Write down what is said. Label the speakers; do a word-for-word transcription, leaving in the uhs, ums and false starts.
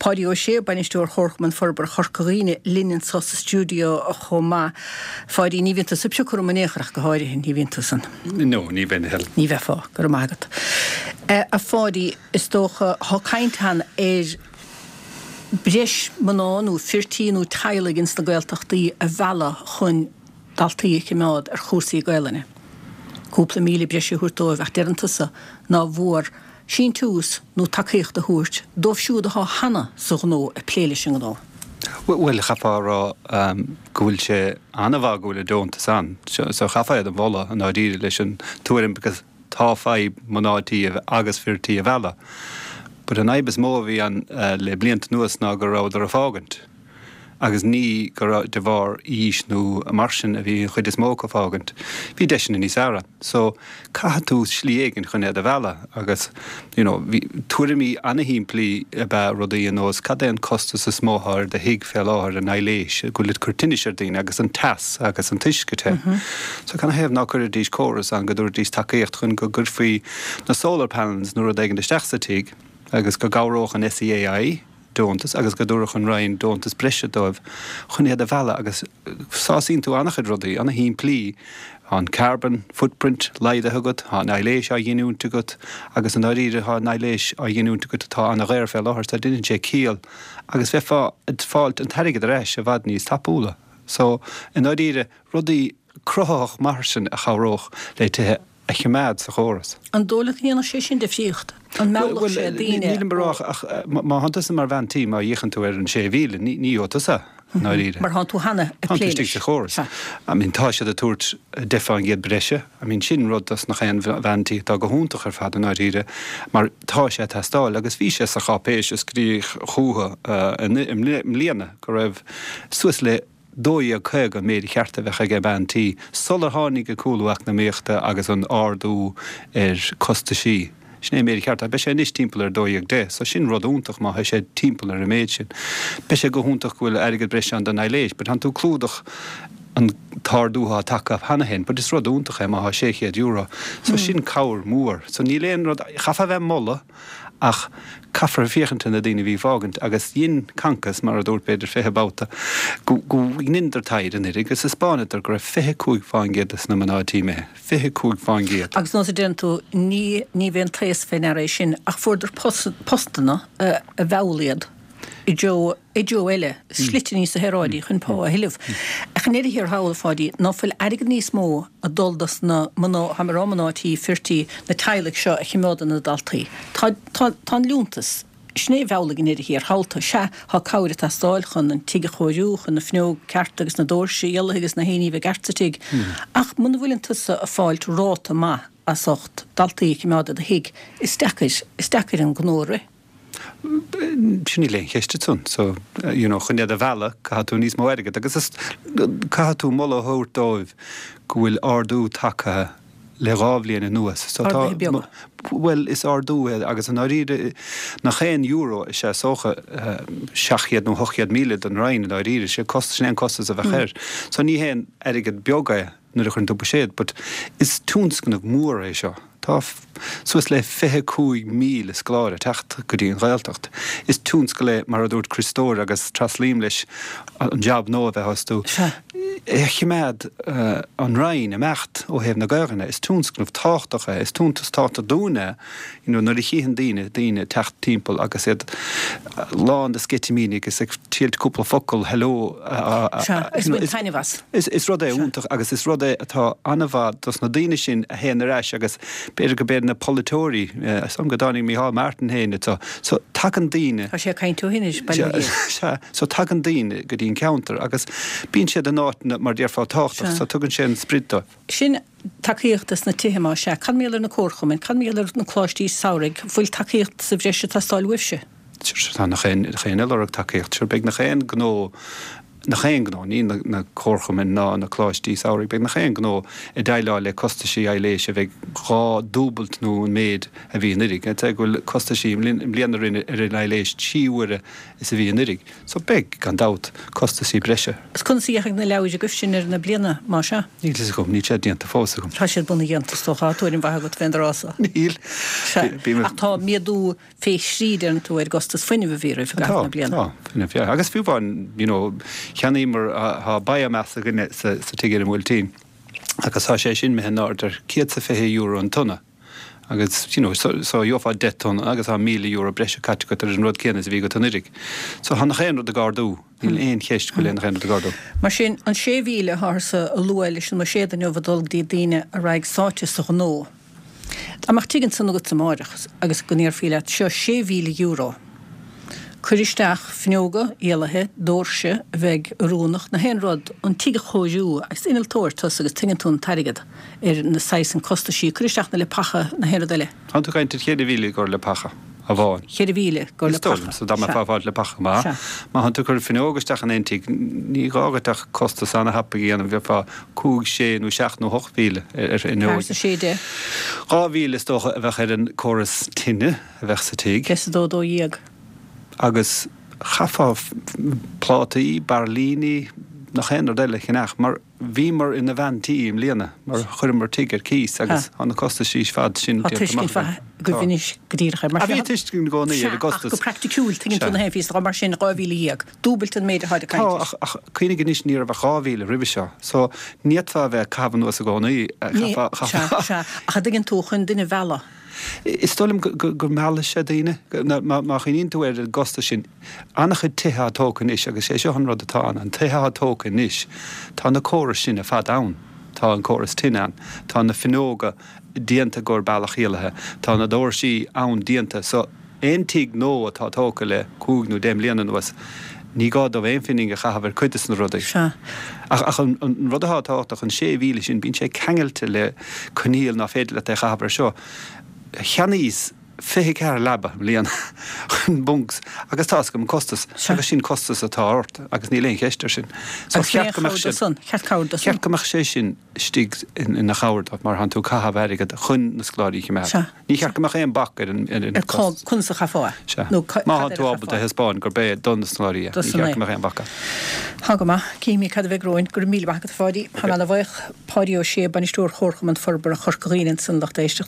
Speaker 1: Páidí Ó Sé, bainisteoir Chomharchumann Forbartha Chorca Dhuibhne, linn anseo sa stiúideo chomh maith. Pháidí, ní bhíonn tusa ag piocadh orm in aon chor ach go háirithe, ní bhíonn tú san.
Speaker 2: No, ní bheinn, Helen.
Speaker 1: Ní bheifeá, go raibh maith agat. A Pháidí, is dócha, tá caint ann ar breis mná nó fir tí nó teaghlaigh ins na Gaeltachtaí a mhealladh chun daltaí a choimeád ar chúrsaí Gaelainne. Cúpla míle breise a thabhairt dóibh ach deireann tusa ná mhór síntiús nó tacaíocht a thabhairt dóibh siúd atá cheana sa ghnó ag plé leis an ngnó.
Speaker 2: Bhuel, chaithfeá a rá go bhfuil sé an-mhaith go bhfuil an deontas ann. So chaithfeá iad a mholadh i ndáiríre leis an tuairim because tá fadhb mná tí agus fir tí a mhealladh. But an fhadhb is mó a bhí ann le blianta anuas ná go rabhadar ag fágaint. Agus ní go raibh de bharr aois nó mar sin a bhí an chuid is mó acu ag fágaint. Bhí deiseanna níos fearr ann. So caithfidh tú slí éigin chun iad a mhealladh agus you know, bhí tuairimí an-shimplí ab ea rudaí ar nós cad é an costas is mó atá ar do thigh fé láthair an aibhléis, go bhfuil ag cur tinnis ar daoine agus an teas agus an t-uisce te. So canathaobh ná cuirfidís córas ann go dtabharfaidís tacaíocht chun go gcuirfí na solar panels nó rud éigin isteach sa tigh agus go gcabhródh an S E A I deontas agus go dtabharfadh an Roinn deontas breise dóibh chun iad a mhealladh agus sásaíonn tú an-chuid rudaí an-shimplí an carbon footprint laghdaithe agat, tá an aibhléis á ghiniúint agat agus i ndáiríre tá an aibhléis á ghiniúint agat atá an-dhaor fé láthair, so déanann sé ciall agus bheifeá ag fáilt an t-airgead ar ais i bhfad níos tapúla. So i ndáiríre rudaí cruthaitheach mar sin a chabhródh le tithe a choimeád sa chóras.
Speaker 1: An dóigh leat go ndéanfadh sé sin difríocht? An meallfadh sé daoine?
Speaker 2: Nílim ag rá ach má thánn tusa mar bhean tí má fhéachann tú ar an sé mhíle, ní ní tusa i ndáiríre.
Speaker 1: Mar thánn tú cheana ag plé
Speaker 2: leis. Sa chóras. I mean tá siad ag tabhairt deich faoin gcéad breise, I mean sin rud dos nach aon bhean tí atá go hiontach ar fad i ndáiríre, mar tá sé ag teastáil agus bhí sé sa cháipéis a scríobh chucu i mbliana go raibh suas le dó dhéag caoga méid cheart a bheith ag bean tí sular tháinig an cúlú eacnamaíochta agus an ardú ar costaisí. Sin é méid cheart, beidh sé anois timpeall ar dó dhéag deich, so sin rud iontach má tá sé timpeall ar an méid sin. Beidh sé go hiontach go bhfuil airgead breise ann don aibhléis, but tánn tú clúdach an t-ardú atá tagtha cheana féin, but is rud iontach é má tá sé chéad euro. So sin cabhair mhór. So níl aon rud chaithfeá bheith moladh ach caithfear féachaint na daoine bhí fágaint agus dhein Concos mar a dúirt b'fhéidir fiche babhta go ndeineadar taighde anuraidh agus thaispeánadar go raibh fiche cúig faoin gcéad de na mná tí imithe, fiche cúig faoin gcéad.
Speaker 1: Agus nós a deireann tú ní ní bhíonn taos fé ndeara é sin ach fuaireadar postanna a mheall iad i dtreo i dtreo eile, slite níos saoráidí chun pá a thuilleamh. Ach in ndeireadh thiar thall a Pháidí ná fuil airgead níos mó ag dul dos na mná tá mé ag rá mná tí fir tí na teaghlaigh seo a choimeádann na daltaí. Tá tá tá an liúntas sin é bhealaigh in ndeireadh thiar thall sea tá cabhair ag teastáil chun an tigh a chóiriú chun na fuinneoga ceart agus na doirse dhealaithe agus na haon bheith ceart sa tigh. Ach muna bhfuileann tusa ag fáilt ráta maith as ucht daltaí a choimeád i do thigh is deacair is deacair an gnó a rith.
Speaker 2: Sin í léon cheiste san so you know, chun iad a mhealladh caithfidh tú níos mó airgead agus is caithfidh tú moladh a thabhairt dóibh go bhfuil ardú tagtha le dhá bhliain anuas. So tá Well is ardú é agus i ndáiríre nach aon euro is é socha seacht gcéad nó ocht gcéad míle don Roinn i ndáiríre sé costas sin aon costas a bheith air. So ní haon airgead beag é nuair a chuireann tú buiséad, but is tionscnamh mór é seo. Tá suas le fiche cúig míle scoláire teacht go dtí an Ghaeltacht. Is tionscal é mar a dúirt Chris Story agus traslím leis an job nó a bheith astu. É choimeád uh, an Roinn imeacht ó thaobh na Gaeilge is tionscnamh tábhachtach é, is tionscnamh tábhachtach dúinne you know, nuair a chíonn daoine daoine teacht timpeall agus iad lán de sceitimíní agus ag tilt cúpla focal hello
Speaker 1: is
Speaker 2: is, is rud é iontach agus is rud é atá an-mhaith dos na daoine sin a théann ar ais agus b'fhéidir go b'fhéidir na polaiteoirí sam go dtáinig Micheál Martin féin so so tagann daoine
Speaker 1: Tá sé caint hin
Speaker 2: so tagann daoine go dtí an ceantar agus bíonn siad in áit mar déarfá tábhachtach so tugann sé an sprid dó.
Speaker 1: Sin tacaíocht na tithe má sé, Cad mar gheall ar na comharchumainn, cad mar gheall ar na coláistí samhraidh, fuil tacaíocht sa bhreis teastáil uaibhse.
Speaker 2: Tá nach aon lorg tacaíocht, Sure beidh nach aon gnó nach aon gnó, ní na comharchumainn ná na coláistí samhraidh, beidh nach aon gnó ag déileáil le costaisí aibhléise a bheidh dhá dúbailt nó an méid a bhí anuiridh. I'd say go bhfuil costaisí i mbliana ar an aibhléis trí huaire is a bhí anuiridh. So beidh, gan dabht, costaisí breise.
Speaker 1: Is conas a dheachaigh na leabhair agaibh sin ar na bliana, más ea?
Speaker 2: Níl fhios agam, níl sé déanta fós agam.
Speaker 1: Tá siad bunaidh dhéanta, is dócha. Tá tuairim mhaith agat fén dtráth so.
Speaker 2: Níl.
Speaker 1: Sea. Ach tá méadú fé thrí, deireann tú, ar gcostas fuinnimh a bhí roimh i gcaitheamh na bliana.
Speaker 2: Tá, tá, fuinneamh, yeah. Agus fiú amháin, you know, cheannaíomar, tá biomass againne sa tigh ar an mBuailtín agus tá sé sin imithe in airde ar céad 's a fiche euro an tonna agus, you know, so, so gheofá deich tonna agus tá míle euro breise caite agat ar an rud céanna is a bhí agat anuiridh. So tá nach aon rud ag ardú, níl aon cheist go bhfuil aon rud ag ardú.
Speaker 1: Mar sin, an sé mhíle atá a lua leis an mbuiséad inniu ag dul go dtí daoine a raghaidh sáite sa ghnó, Dá mbeadh tigh ansan agat amáireach agus go ndéarfaí leat, seo sé mhíle euro, cuir isteach fuinneoga éalaithe, doirse a bheidh oiriúnach, na haon rud, an tigh a chóiriú, agus innealtóir tusa agus tuigeann tú an t-airgead ar na saghas an costaisí, cuir isteach na leapacha, na haon rud eile.
Speaker 2: Tá tú ag caint ar cheithre mhíle i gcomhair leapacha amháin.
Speaker 1: Cheithre mhíle i gcomhair
Speaker 2: Is dóigh liom,
Speaker 1: leapacha,
Speaker 2: so dá mbeifeá
Speaker 1: sea.
Speaker 2: ag fáilt leapacha maith.
Speaker 1: Sea.
Speaker 2: Má thánn tú ag cur fuinneog isteach in aon tigh, ní gá dhuit ach costas ana-thapaidh a dhéanamh, bheifeá cúig, sé nó seacht nó hocht mhíle ar fhuinneoig.
Speaker 1: Ceathair is a sé deich.
Speaker 2: Dhá mhíle is dócha a bheadh ar an córas tine a bheadh sa tigh.
Speaker 1: Deich is a dó, dó dhéag.
Speaker 2: Agus chaithfeá plátaí, bairillíní, nach aon rud eile a cheannach mar bhíomar ina bhean tí i mbliana mar chuireamar tigh ar cíos agus tá na costaisí ar fad sin
Speaker 1: Tá
Speaker 2: déanta
Speaker 1: tuiscint
Speaker 2: amach
Speaker 1: mhaith
Speaker 2: againn.
Speaker 1: agaibh
Speaker 2: Tá.
Speaker 1: anois go díreach air. Mar
Speaker 2: Ah, bhí
Speaker 1: sin,
Speaker 2: tuiscint i gcónaí
Speaker 1: sea,
Speaker 2: ar an
Speaker 1: ach
Speaker 2: gcostas.
Speaker 1: go praiticiúil, tuigeann tú
Speaker 2: Sea.
Speaker 1: na haon phíosa, mar sin dhá mhíle dhéag, dúbailt an méid atá ag
Speaker 2: Tá,
Speaker 1: caint
Speaker 2: ach, ach cuimhnigh anois ní raibh ach dhá mhíle roimhe seo, so ní fhéadfá a bheith ag caitheamh anuas i gcónaí,
Speaker 1: Ní,
Speaker 2: chaithfeá,
Speaker 1: sea,
Speaker 2: chaithfeá.
Speaker 1: sea, ach a dtuigeann tú chun duine a mhealladh.
Speaker 2: Is dóigh liom go meallfaidh sé daoine. Má chuimhníonn tú ar an gcostas sin, an-chuid tithe atá tógtha anois, agus sé seo an rud atá ann, an tithe atá tógtha anois, tá na córais sin ar fad ann. Tá an córas tine ann, tá na fuinneoga déanta i gcomhair bealach éalaithe, tá na doirsí ann déanta. So, aon tigh nua atá tógtha le cúig nó deich mbliana anuas, ní gá dóibh aon phingin a chaitheamh ar cuid de na rudaí.
Speaker 1: Sea.
Speaker 2: Ach, ach an, an rud atá tábhachtach, an sé mhíle sin, bíonn sé ceangailte le coinníoll ná féidir leat é a chaitheamh ar seo. Cheannaíos fiche ceathair leaba i mbliana chun bunks agus tá 'fhios agam an costas agus sin costas atá ort agus níl aon cheist air sin. So
Speaker 1: Agus
Speaker 2: cheart go mbeadh sé
Speaker 1: san, cheart cabhair do san.
Speaker 2: Cheart go mbeadh sé sin istigh ina chabhair dóibh mar thánn tú ag caitheamh airgead chun na scoláirí a choimeád.
Speaker 1: Sea.
Speaker 2: Ní cheart go mbeadh aon bac ar an ar an
Speaker 1: Ar cá,
Speaker 2: costas.
Speaker 1: conas a chaithfeá é.
Speaker 2: Sea.
Speaker 1: Nó ca,
Speaker 2: Má
Speaker 1: cad
Speaker 2: thánn
Speaker 1: air
Speaker 2: tú
Speaker 1: a
Speaker 2: ábalta
Speaker 1: chaithfeá é.
Speaker 2: thaispeáin gurb é do na scoláirí é,
Speaker 1: Do
Speaker 2: ní
Speaker 1: san
Speaker 2: cheart
Speaker 1: é.
Speaker 2: go mbeadh aon bhac ann.
Speaker 1: Tá go maith. Cífimid cad a bheidh romhainn. Go raibh míle maith agat a Pháidí. Tá mé ana bhuíoch. Páidí Ó Sé, Bainisteoir Chomharchumann Forbartha Chorca Dhuibhne ansan lucht éisteachta.